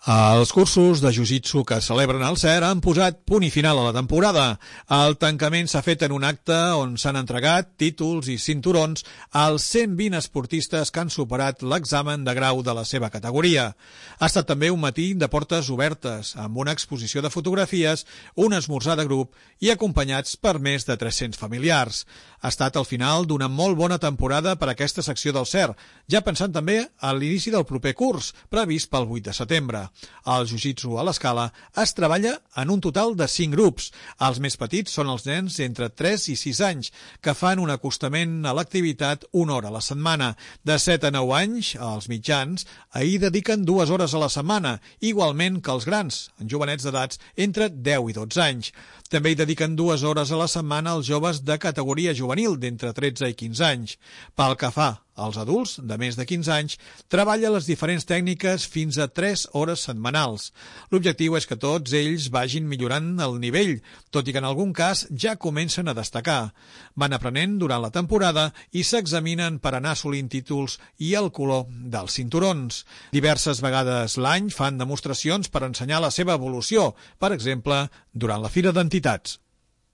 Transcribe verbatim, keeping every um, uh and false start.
Els cursos de jiu-jitsu que celebren al C E R han posat punt i final a la temporada. El tancament s'ha fet en un acte on s'han entregat títols i cinturons als cent vint esportistes que han superat l'examen de grau de la seva categoria. Ha estat també un matí de portes obertes, amb una exposició de fotografies, un esmorzar de grup i acompanyats per més de tres-cents familiars. Ha estat el final d'una molt bona temporada per a aquesta secció del C E R, ja pensant també a l'inici del proper curs, previst pel vuit de setembre. Al jiu-jitsu a l'Escala es treballa en un total de cinc grups. Els més petits són els nens entre tres i sis anys, que fan un acostament a l'activitat una hora a la setmana. De set a nou anys, els mitjans, ahir dediquen dues hores a la setmana, igualment que els grans, en jovenets d'edats entre deu i dotze anys. També hi dediquen dues hores a la setmana als joves de categoria juvenil d'entre tretze i quinze anys. Pel que fa als adults de més de quinze anys, treballa les diferents tècniques fins a tres hores setmanals. L'objectiu és que tots ells vagin millorant el nivell, tot i que en algun cas ja comencen a destacar. Van aprenent durant la temporada i s'examinen per anar assolint títols i el color dels cinturons. Diverses vegades l'any fan demostracions per ensenyar la seva evolució, per exemple, durant la Fira d'Entitats.